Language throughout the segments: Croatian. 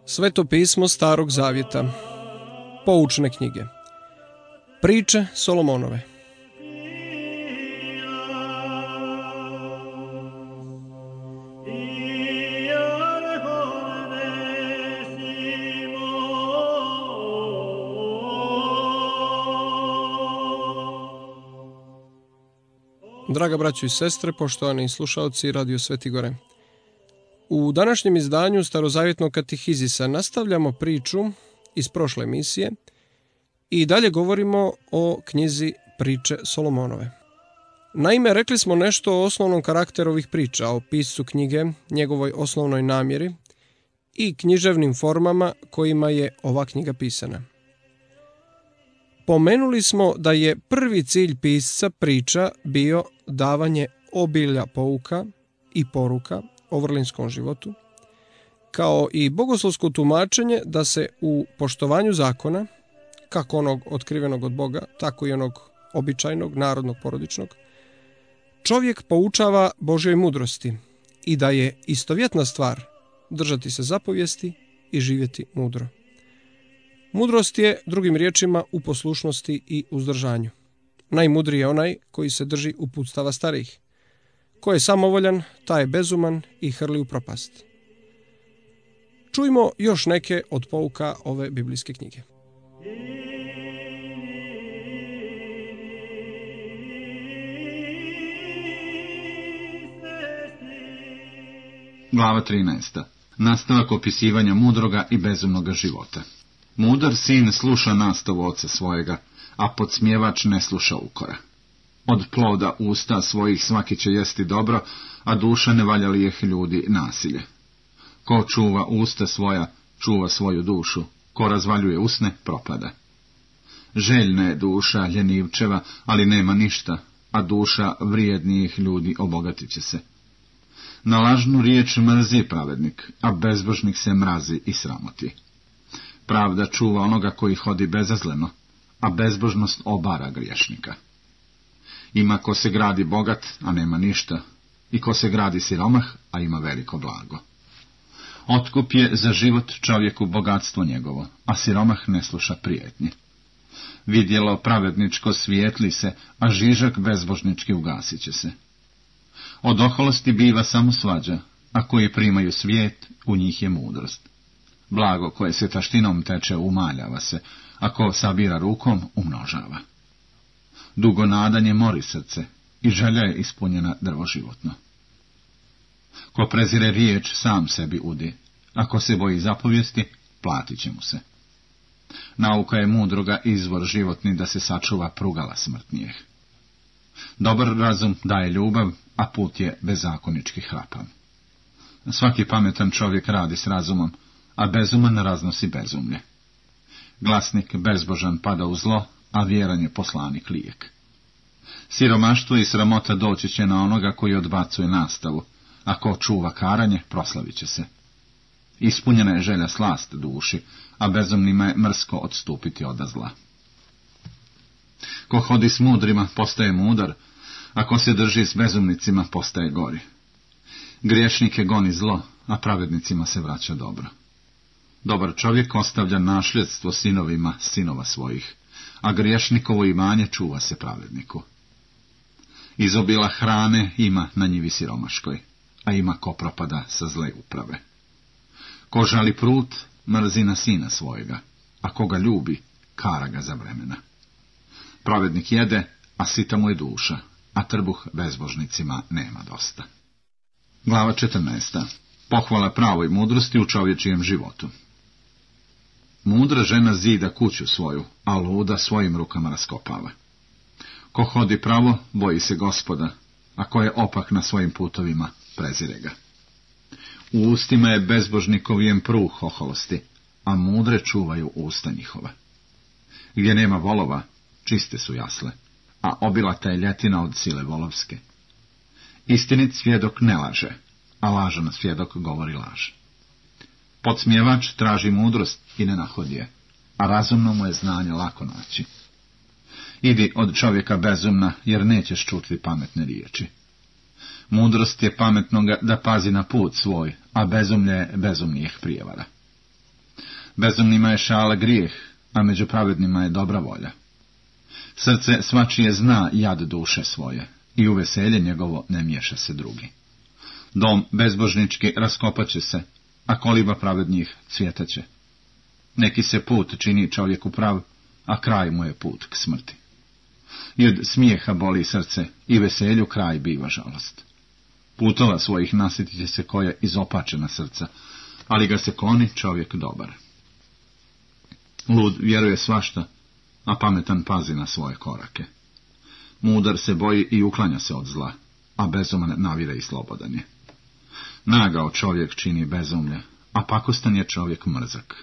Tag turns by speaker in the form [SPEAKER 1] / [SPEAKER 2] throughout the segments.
[SPEAKER 1] Sveto pismo Starog Zavjeta. Poučne knjige. Priče Solomonove. Draga braćo i sestre, poštovani slušalci Radio Sveti Gore. U današnjem izdanju Starozavjetnog katehizisa nastavljamo priču iz prošle emisije i dalje govorimo o knjizi Priče Solomonove. Naime, rekli smo nešto o osnovnom karakteru ovih priča, o piscu knjige, njegovoj osnovnoj namjeri i književnim formama kojima je ova knjiga pisana. Pomenuli smo da je prvi cilj pisca priča bio davanje obilja pouka i poruka o vrlinskom životu, kao i bogoslovsko tumačenje da se u poštovanju zakona, kako onog otkrivenog od Boga, tako i onog običajnog, narodnog, porodičnog, čovjek poučava Božjoj mudrosti i da je istovjetna stvar držati se zapovijesti i živjeti mudro. Mudrost je, drugim riječima, u poslušnosti i uzdržanju. Najmudriji je onaj koji se drži uputstava starijih. Ko je samovoljan, taj je bezuman i hrli u propast. Čujmo još neke od pouka ove biblijske knjige.
[SPEAKER 2] Glava 13. Nastavak opisivanja mudroga i bezumnoga života. Mudar sin sluša nastavu oca svojega, a podsmjevač ne sluša ukora. Od ploda usta svojih svaki će jesti dobro, a duša ne valja lijeh ljudi nasilje. Ko čuva usta svoja, čuva svoju dušu, ko razvaljuje usne, propada. Željna je duša ljenivčeva, ali nema ništa, a duša vrijednijih ljudi obogatit će se. Na lažnu riječ mrzi pravednik, a bezbožnik se mrazi i sramoti. Pravda čuva onoga koji hodi bezazleno, a bezbožnost obara griješnika. Ima ko se gradi bogat, a nema ništa, i ko se gradi siromah, a ima veliko blago. Otkup je za život čovjeku bogatstvo njegovo, a siromah ne sluša prijetnje. Vidjelo pravedničko svijetli se, a žižak bezbožnički ugasit će se. Od oholosti biva samo svađa, a koji primaju svijet, u njih je mudrost. Blago koje se taštinom teče umaljava se, a ko sabira rukom umnožava. Dugo nadanje mori srce i želja je ispunjena drvo životno. Ko prezire riječ sam sebi udi, a ko se boji zapovijesti, platit će mu se. Nauka je mudroga izvor životni da se sačuva prugala smrtnijeh. Dobar razum daje ljubav, a put je bezakonički hrapav. Svaki pametan čovjek radi s razumom, a bezuman raznosi bezumlje. Glasnik bezbožan pada u zlo, a vjeran je poslanik lijek. Siromaštvo i sramota doći će na onoga koji odbacuje nastavu, a ko čuva karanje, proslavit će se. Ispunjena je želja slast duši, a bezumnima je mrsko odstupiti od zla. Ko hodi s mudrima, postaje mudar, a ko se drži s bezumnicima, postaje gori. Griješnike goni zlo, a pravednicima se vraća dobro. Dobar čovjek ostavlja nasljedstvo sinovima sinova svojih, a griješnikovo imanje čuva se pravedniku. Izobila hrane ima na njivi siromaškoj, a ima ko propada sa zle uprave. Ko žali prut, mrzi na sina svojega, a koga ljubi, kara ga za vremena. Pravednik jede, a sita mu je duša, a trbuh bezbožnicima nema dosta. Glava 14. Pohvala pravoj mudrosti u čovječijem životu. Mudra žena zida kuću svoju, a luda svojim rukama raskopava. Ko hodi pravo, boji se Gospoda, a ko je opak na svojim putovima, prezire ga. U ustima je bezbožnikovijem pruh oholosti, a mudre čuvaju usta njihova. Gdje nema volova, čiste su jasle, a obilata je ljetina od sile volovske. Istinit svjedok ne laže, a lažan svjedok govori laž. Podsmjevač traži mudrost i ne nahodi je, a razumno mu je znanje lako naći. Idi od čovjeka bezumna, jer nećeš čuti pametne riječi. Mudrost je pametnoga da pazi na put svoj, a bezumlje je bezumnijih prijevara. Bezumnima je šala grijeh, a među pravednima je dobra volja. Srce svačije zna jad duše svoje, i u veselje njegovo ne miješa se drugi. Dom bezbožnički raskopaće se, a koliba pravednjih cvjetaće. Neki se put čini čovjeku prav, a kraj mu je put k smrti. I od smijeha boli srce, i veselju kraj biva žalost. Putova svojih nasjetit će se koja izopačena srca, ali ga se kloni čovjek dobar. Lud vjeruje svašta, a pametan pazi na svoje korake. Mudar se boji i uklanja se od zla, a bezuman navire i slobodan je. Nagao čovjek čini bezumlje, a pakostan je čovjek mrzak.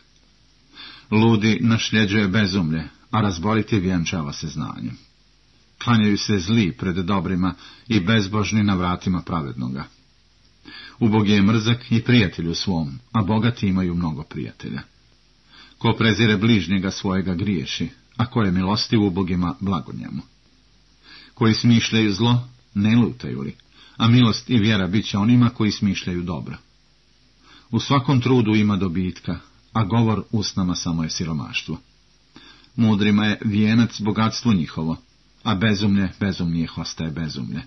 [SPEAKER 2] Ludi našljeđuje bezumlje, a razboriti vjenčava se znanjem. Klanjaju se zli pred dobrima i bezbožni na vratima pravednoga. Ubog je mrzak i prijatelju svom, a bogati imaju mnogo prijatelja. Ko prezire bližnjega svojega griješi, a ko je milostiv ubogima blago njemu. Koji smišljaju zlo, ne lutaju li, a milost i vjera bit će onima koji smišljaju dobro. U svakom trudu ima dobitka, a govor usnama samo je siromaštvo. Mudrima je vijenac bogatstvo njihovo, a bezumlje bezumnijih ostaje bezumlje.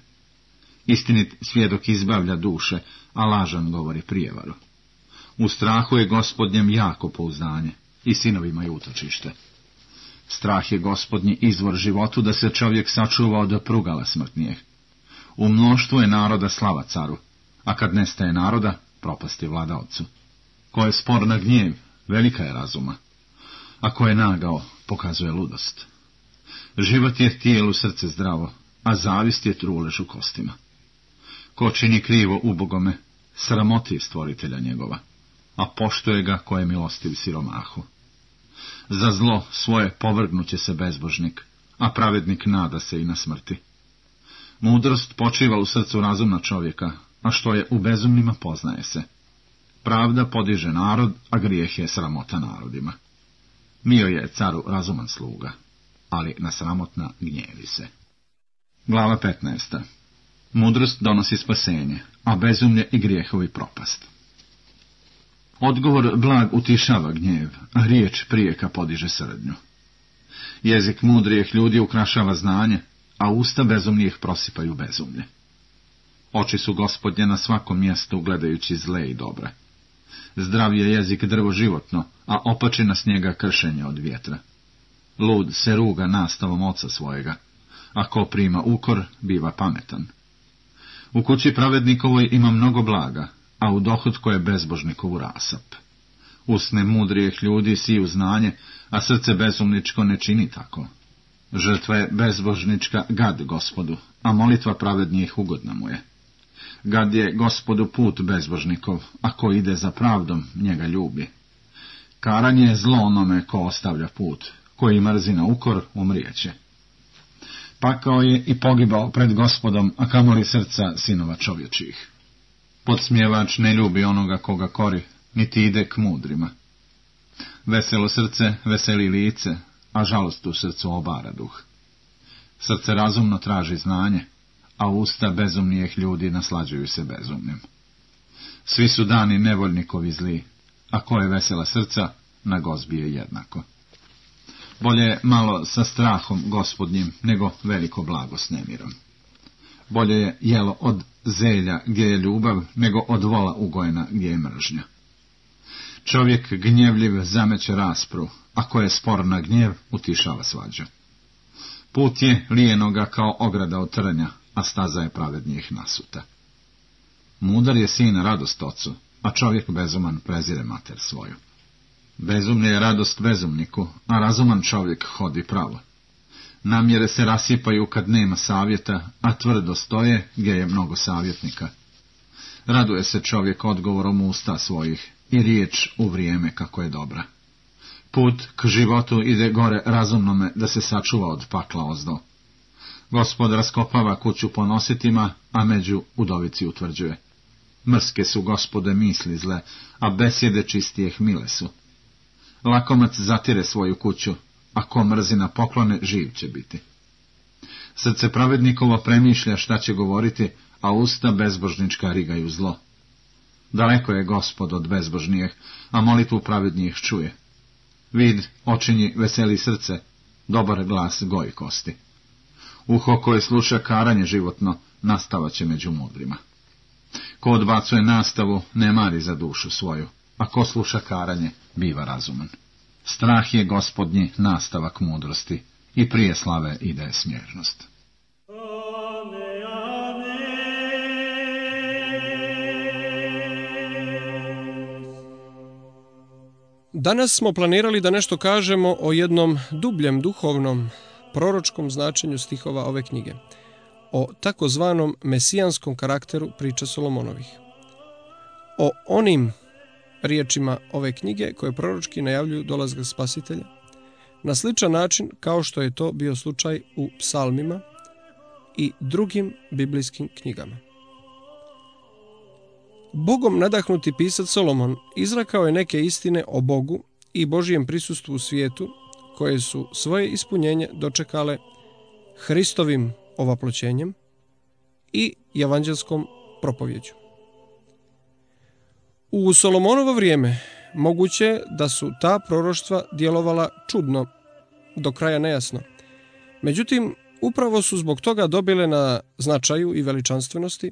[SPEAKER 2] Istinit svjedok izbavlja duše, a lažan govori prijevaru. U strahu je Gospodnjem jako pouzdanje, i sinovima je utočište. Strah je Gospodnji izvor životu, da se čovjek sačuva od prugala smrtnijeg. U mnoštvu je naroda slava caru, a kad nestaje naroda, propast je vladaocu. Ko je spor na gnjev, velika je razuma, a ko je nagao, pokazuje ludost. Život je tijelu srce zdravo, a zavist je trulež u kostima. Ko čini krivo ubogome, sramoti stvoritelja njegova, a poštuje ga ko je milostiv siromahu. Za zlo svoje povrgnuće se bezbožnik, a pravednik nada se i na smrti. Mudrost počiva u srcu razumna čovjeka, a što je u bezumnima poznaje se. Pravda podiže narod, a grijeh je sramota narodima. Mio je caru razuman sluga, ali na sramotna gnjevi se. Glava 15. Mudrost donosi spasenje, a bezumlje i grijehovi propast. Odgovor blag utišava gnjev, a riječ prijeka podiže srdnju. Jezik mudrijih ljudi ukrašava znanje, a usta bezumnijih prosipaju bezumlje. Oči su Gospodnje na svakom mjestu, gledajući zle i dobre. Zdrav je jezik drvo životno, a opačina s njega kršenje od vjetra. Lud se ruga nastavom oca svojega, a ko prima ukor, biva pametan. U kući pravednikovoj ima mnogo blaga, a u dohotku je bezbožnikovu rasap. Usne mudrijih ljudi siju znanje, a srce bezumničko ne čini tako. Žrtva je bezbožnička gad Gospodu, a molitva pravednijih ugodna mu je. Gad je Gospodu put bezbožnikov, a ko ide za pravdom, njega ljubi. Karanje je zlo onome ko ostavlja put, koji mrzi na ukor, umrijeće. Pakao je i pogibao pred Gospodom, a kamoli srca sinova čovječih. Podsmjevač ne ljubi onoga koga kori, niti ide k mudrima. Veselo srce veseli lice, a žalost u srcu obara duh. Srce razumno traži znanje, a usta bezumnijih ljudi naslađuju se bezumnim. Svi su dani nevoljnikovi zli, a ko je vesela srca, na gozbi je jednako. Bolje je malo sa strahom Gospodnjim, nego veliko blago s nemirom. Bolje je jelo od zelja gdje je ljubav, nego od vola ugojena gdje je mržnja. Čovjek gnjevljiv zameće raspru, a ko je spor na gnjev, utišava svađu. Put je lijenoga kao ograda od trnja, a staza je pravednijih nasuta. Mudar je sin radost ocu, a čovjek bezuman prezire mater svoju. Bezumlje je radost bezumniku, a razuman čovjek hodi pravo. Namjere se rasipaju kad nema savjeta, a tvrdo stoje gdje je mnogo savjetnika. Raduje se čovjek odgovorom usta svojih i riječ u vrijeme kako je dobra. Put k životu ide gore razumnome da se sačuva od pakla ozdo. Gospod raskopava kuću ponositima, a među udovici utvrđuje. Mrske su, Gospode, misli zle, a besjede čistijeh mile su. Lakomac zatire svoju kuću, a ko mrzi na poklone, živ će biti. Srce pravednikovo premišlja šta će govoriti, a usta bezbožnička rigaju zlo. Daleko je Gospod od bezbožnijeh, a molitvu pravednijih čuje. Vid očinji veseli srce, dobar glas goji kosti. Uho koje sluša karanje životno, nastavaće među mudrima. Ko odbacuje nastavu, ne mari za dušu svoju, a ko sluša karanje, biva razuman. Strah je Gospodnji nastavak mudrosti, i prije slave ide smjernost.
[SPEAKER 1] Danas smo planirali da nešto kažemo o jednom dubljem duhovnom, proročkom značenju stihova ove knjige, o takozvanom mesijanskom karakteru priča Solomonovih. O onim riječima ove knjige koje proročki najavljuju dolazak Spasitelja, na sličan način kao što je to bio slučaj u psalmima i drugim biblijskim knjigama. Bogom nadahnuti pisac Solomon izrekao je neke istine o Bogu i Božijem prisustvu u svijetu, koje su svoje ispunjenje dočekale Hristovim ovaploćenjem i evanđelskom propovjeđu. U Solomonovo vrijeme moguće da su ta proroštva djelovala čudno, do kraja nejasno. Međutim, upravo su zbog toga dobile na značaju i veličanstvenosti,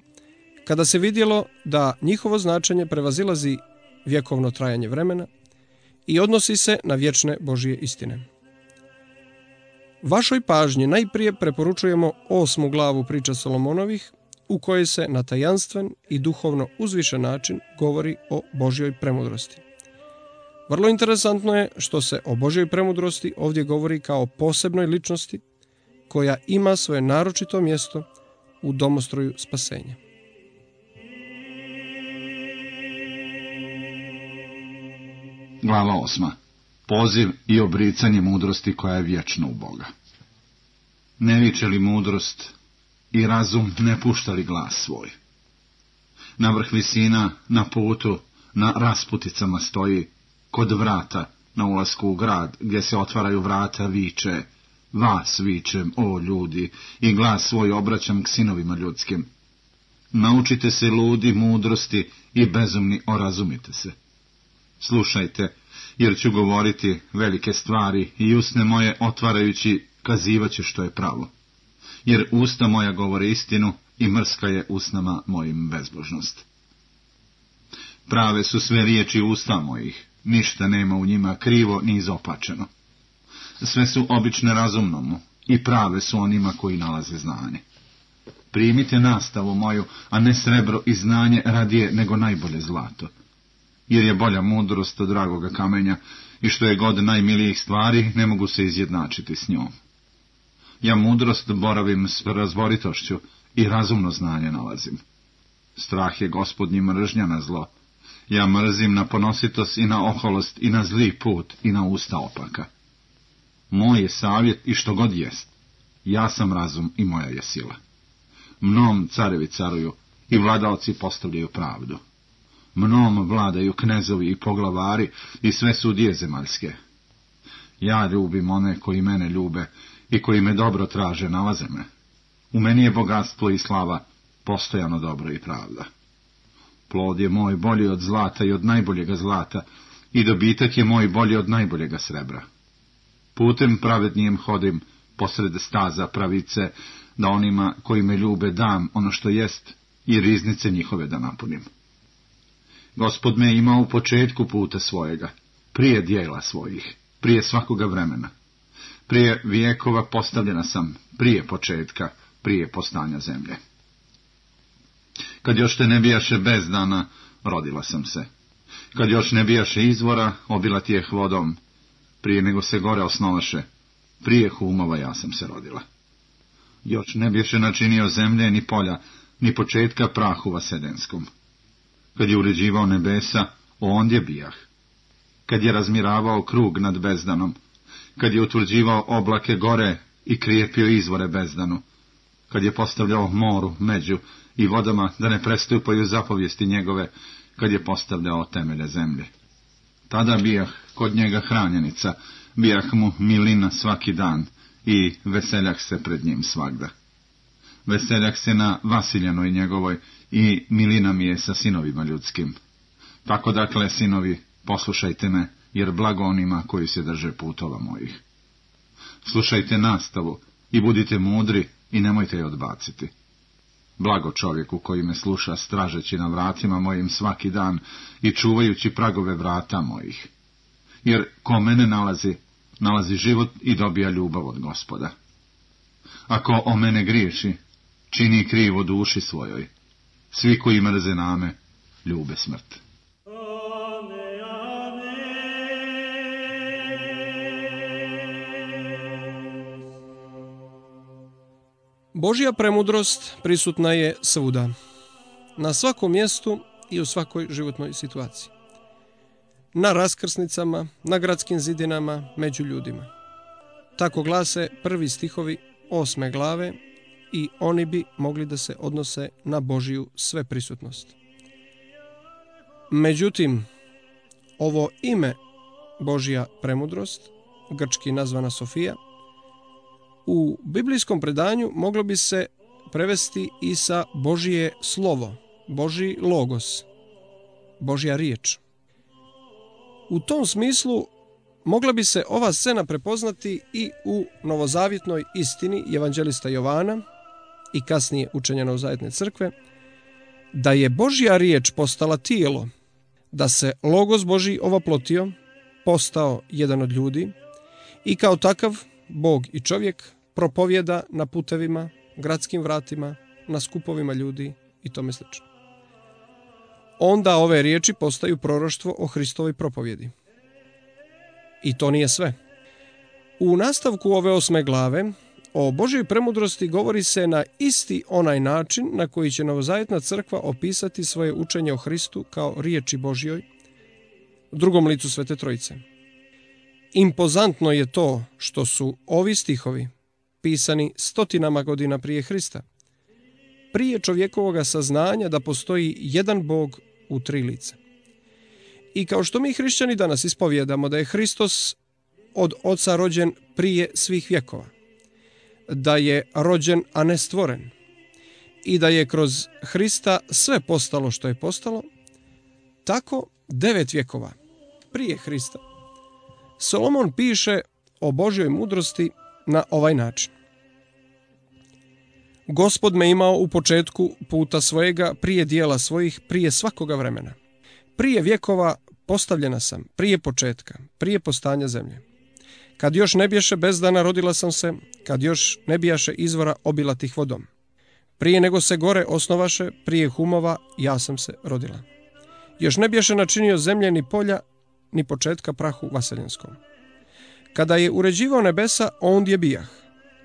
[SPEAKER 1] kada se vidjelo da njihovo značenje prevazilazi vjekovno trajanje vremena i odnosi se na vječne Božje istine. Vašoj pažnji najprije preporučujemo 8. glavu priča Solomonovih, u kojoj se na tajanstven i duhovno uzvišen način govori o Božjoj premudrosti. Vrlo interesantno je što se o Božjoj premudrosti ovdje govori kao posebnoj ličnosti, koja ima svoje naročito mjesto u domostroju spasenja.
[SPEAKER 2] Glava 8. Poziv i obricanje mudrosti koja je vječna u Boga. Ne viče li mudrost i razum, ne pušta li glas svoj? Na vrh visina, na putu, na rasputicama stoji, kod vrata, na ulasku u grad, gdje se otvaraju vrata, viče, vas vičem, o ljudi, i glas svoj obraćam k sinovima ljudskim. Naučite se, ludi, mudrosti, i bezumni, orazumite se. Slušajte, jer ću govoriti velike stvari i usne moje otvarajući kazivaće što je pravo. Jer usta moja govore istinu i mrska je usnama mojim bezbožnost. Prave su sve riječi usta mojih, ništa nema u njima krivo ni izopačeno. Sve su obične razumnomu i prave su onima koji nalaze znanje. Primite nastavu moju, a ne srebro i znanje radije nego najbolje zlato. Jer je bolja mudrost od dragoga kamenja i što je god najmilijih stvari, ne mogu se izjednačiti s njom. Ja mudrost boravim s razboritošću i razumno znanje nalazim. Strah je Gospodnji mržnja na zlo. Ja mrzim na ponositost i na oholost i na zli put i na usta opaka. Moj je savjet i što god jest. Ja sam razum i moja je sila. Mnom carevi caruju i vladaoci postavljaju pravdu. Mnom vladaju knezovi i poglavari i sve sudije zemaljske. Ja ljubim one koji mene ljube i koji me dobro traže, nalaze me. U meni je bogatstvo i slava, postojano dobro i pravda. Plod je moj bolji od zlata i od najboljega zlata, i dobitak je moj bolji od najboljega srebra. Putem pravednijem hodim posred staza pravice, da onima koji me ljube dam ono što jest i riznice njihove da napunim. Gospod me ima u početku puta svojega, prije dijela svojih, prije svakoga vremena. Prije vijekova postavljena sam, prije početka, prije postanja zemlje. Kad još te ne bijaše bezdana, rodila sam se. Kad još ne bijaše izvora, obila ti je vodom. Prije nego se gore osnovaše, prije humova ja sam se rodila. Još ne bijaše načinio zemlje, ni polja, ni početka prahu vasedenskom. Kad je uređivao nebesa, ondje bijah. Kad je razmiravao krug nad bezdanom, kad je utvrđivao oblake gore i krijepio izvore bezdanu, kad je postavljao moru među i vodama da ne prestupaju zapovijesti njegove, kad je postavljao temelje zemlje. Tada bijah kod njega hranjenica, bijah mu milina svaki dan i veseljah se pred njim svagda. Veseljah se na Vasiljanoj njegovoj i milina mi je sa sinovima ljudskim. Tako dakle, sinovi, poslušajte me, jer blago onima koji se drže putova mojih. Slušajte nastavu i budite mudri i nemojte je odbaciti. Blago čovjeku koji me sluša stražeći na vratima mojim svaki dan i čuvajući pragove vrata mojih. Jer ko mene nalazi život i dobija ljubav od Gospoda. Ako o mene griješi, čini krivo duši svojoj. Svi koji mrze name, ljube smrt.
[SPEAKER 1] Božja premudrost prisutna je svuda, na svakom mjestu i u svakoj životnoj situaciji. Na raskrsnicama, na gradskim zidinama, među ljudima. Tako glase prvi stihovi 8. glave i oni bi mogli da se odnose na Božju sveprisutnost. Međutim, ovo ime Božja premudrost, grčki nazvana Sofija, u biblijskom predanju moglo bi se prevesti i sa Božje slovo, Božji logos, Božja riječ. U tom smislu mogla bi se ova scena prepoznati i u novozavjetnoj istini evanđelista Jovana i kasnije učenja novozavjetne crkve, da je Božja riječ postala tijelo, da se logos Božji ovoplotio, postao jedan od ljudi i kao takav Bog i čovjek propovjeda na putevima, gradskim vratima, na skupovima ljudi i tome slično. Onda ove riječi postaju proroštvo o Hristovoj propovjedi. I to nije sve. U nastavku ove 8. glave o Božjoj premudrosti govori se na isti onaj način na koji će novozavjetna crkva opisati svoje učenje o Hristu kao riječi Božjoj, drugom licu Svete Trojice. Impozantno je to što su ovi stihovi pisani stotinama godina prije Hrista, prije čovjekovoga saznanja da postoji jedan Bog u tri lica. I kao što mi hrišćani danas ispovjedamo da je Hristos od Oca rođen prije svih vjekova, da je rođen, a ne stvoren, i da je kroz Hrista sve postalo što je postalo, tako 9 vjekova prije Hrista Solomon piše o Božjoj mudrosti na ovaj način. Gospod me imao u početku puta svojega, prije dijela svojih, prije svakoga vremena. Prije vjekova postavljena sam, prije početka, prije postanja zemlje. Kad još ne bješe bezdana rodila sam se, kad još ne bijaše izvora obilatih vodom. Prije nego se gore osnovaše, prije humova ja sam se rodila. Još ne bješe načinio zemlje ni polja, ni početka prahu vaseljenskom. Kada je uređivao nebesa, ondje bijah.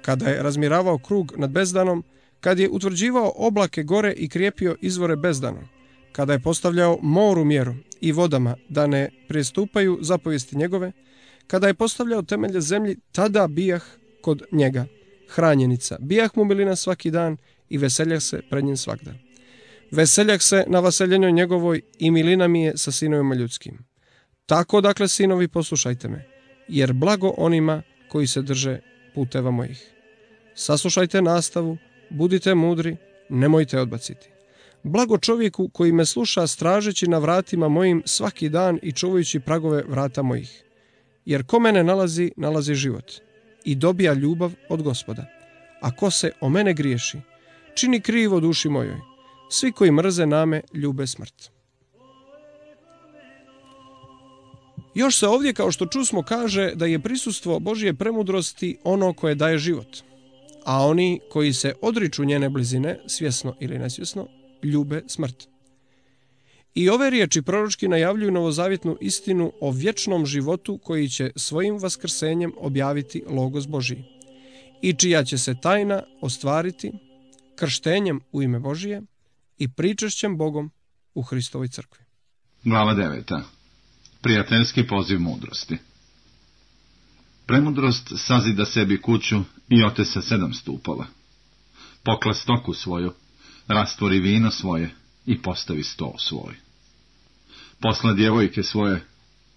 [SPEAKER 1] Kada je razmiravao krug nad bezdanom, kad je utvrđivao oblake gore i krijepio izvore bezdanom, kada je postavljao moru mjeru i vodama da ne prijestupaju zapovijesti njegove, kada je postavljao temelje zemlji, tada bijah kod njega, hranjenica, bijah mu milina svaki dan i veseljah se pred njim svagda. Veseljah se na vaseljenju njegovoj i milina mi je sa sinovima ljudskim. Tako dakle, sinovi, poslušajte me, jer blago onima koji se drže puteva mojih. Saslušajte nastavu, budite mudri, nemojte odbaciti. Blago čovjeku koji me sluša stražeći na vratima mojim svaki dan i čuvajući pragove vrata mojih. Jer ko mene nalazi život i dobija ljubav od Gospoda. A ko se o mene griješi, čini krivo duši mojoj. Svi koji mrze name ljube smrt. Još se ovdje, kao što čusmo, kaže da je prisustvo Božje premudrosti ono koje daje život, a oni koji se odriču njene blizine, svjesno ili nesvjesno, ljube smrt. I ove riječi proročki najavljuju novozavjetnu istinu o vječnom životu koji će svojim vaskrsenjem objaviti logos Božji i čija će se tajna ostvariti krštenjem u ime Božije i pričešćem Bogom u Hristovoj crkvi.
[SPEAKER 2] Glava 9. Prijateljski poziv mudrosti. Premudrost sazida sebi kuću i otesa 7 stupova. Pokla stoku svoju, rastvori vino svoje i postavi sto svoj. Posla djevojke svoje,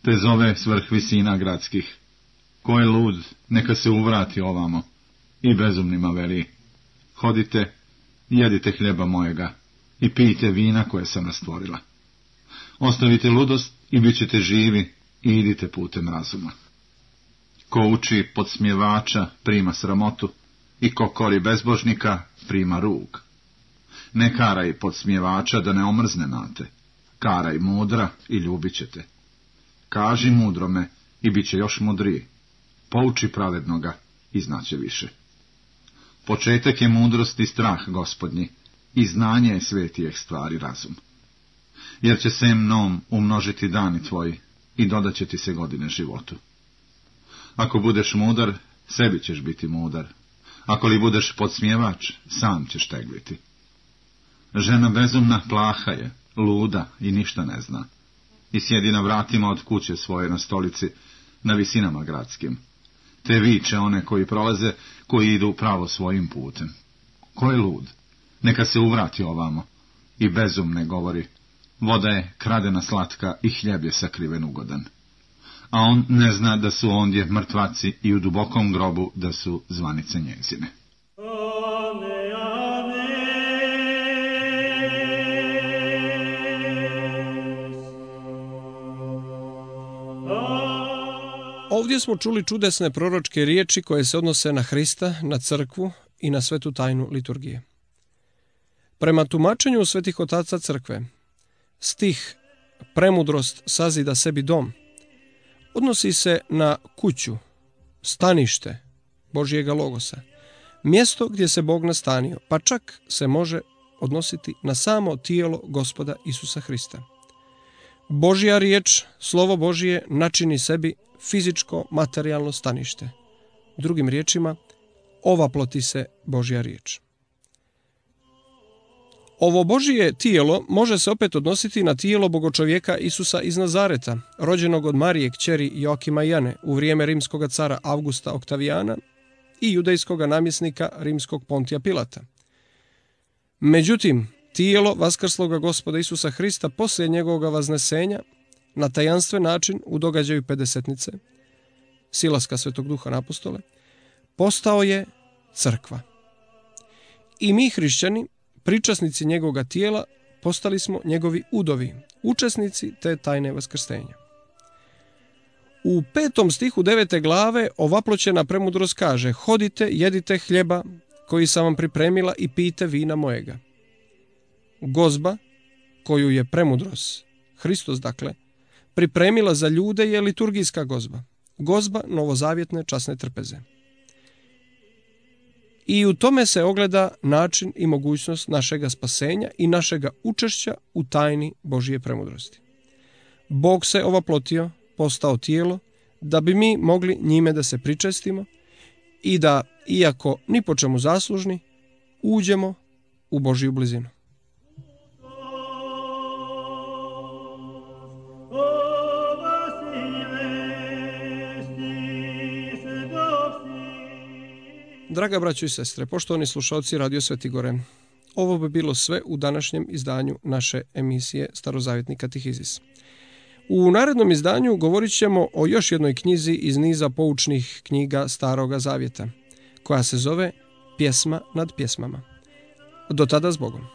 [SPEAKER 2] te zove s vrh visina gradskih. Ko je lud, neka se uvrati ovamo, i bezumnima veli, hodite, jedite hljeba mojega i pijte vina koje sam rastvorila. Ostavite ludost i bit ćete živi i idite putem razuma. Ko uči podsmjevača, prima sramotu, i ko kori bezbožnika, prima rug. Ne karaj podsmjevača da ne omrzne nate, karaj mudra i ljubit ćete. Kaži mudrome i bit će još mudriji, pouči pravednoga i znaće više. Početak je mudrost i strah Gospodnji, i znanje je svetijeh stvari razum. Jer će se mnom umnožiti dani tvoji i dodat će ti se godine životu. Ako budeš mudar, sebi ćeš biti mudar. Ako li budeš podsmjevač, sam ćeš tegliti. Žena bezumna plaha je, luda i ništa ne zna. I sjedi na vratima od kuće svoje na stolici, na visinama gradskim. Te viče one koji prolaze, koji idu pravo svojim putem. Ko je lud? Neka se uvrati ovamo. I bezumne govori, voda je kradena slatka i hljeb je sakriven ugodan. A on ne zna da su ondje mrtvaci i u dubokom grobu da su zvanice njezine.
[SPEAKER 1] Ovdje smo čuli čudesne proročke riječi koje se odnose na Hrista, na crkvu i na svetu tajnu liturgije. Prema tumačenju svetih otaca crkve, stih premudrost sazida sebi dom odnosi se na kuću, stanište Božjega logosa, mjesto gdje se Bog nastanio, pa čak se može odnositi na samo tijelo Gospoda Isusa Hrista. Božja riječ, slovo Božje, načini sebi fizičko, materijalno stanište. Drugim riječima, ovaploti se Božja riječ. Ovo Božje tijelo može se opet odnositi na tijelo bogočovjeka Isusa iz Nazareta, rođenog od Marije kćeri Joakima i Jane u vrijeme rimskog cara Augusta Oktavijana i judejskog namjesnika rimskog Pontija Pilata. Međutim, tijelo vaskrsloga Gospoda Isusa Hrista poslije njegovog vaznesenja na tajanstven način u događaju Pedesetnice, silaska Svetog Duha na apostole, postao je crkva. I mi hrišćani, pričasnici njegovoga tijela, postali smo njegovi udovi, učesnici te tajne vaskrstenja. U 5. stihu 9. glave ovaploćena premudrost kaže: hodite, jedite hljeba koji sam vam pripremila i pijte vina mojega. Gozba, koju je premudrost, Hristos dakle, pripremila za ljude je liturgijska gozba, gozba novozavjetne časne trpeze. I u tome se ogleda način i mogućnost našega spasenja i našega učešća u tajni Božje premudrosti. Bog se ovaplotio, postao tijelo, da bi mi mogli njime da se pričestimo i da, iako ni po čemu zaslužni, uđemo u Božju blizinu. Draga braćo i sestre, poštovani slušalci Radio Sveti Gore, ovo bi bilo sve u današnjem izdanju naše emisije Starozavjetni katehizis. U narednom izdanju govorit ćemo o još jednoj knjizi iz niza poučnih knjiga Staroga Zavjeta, koja se zove Pjesma nad pjesmama. Do tada s Bogom.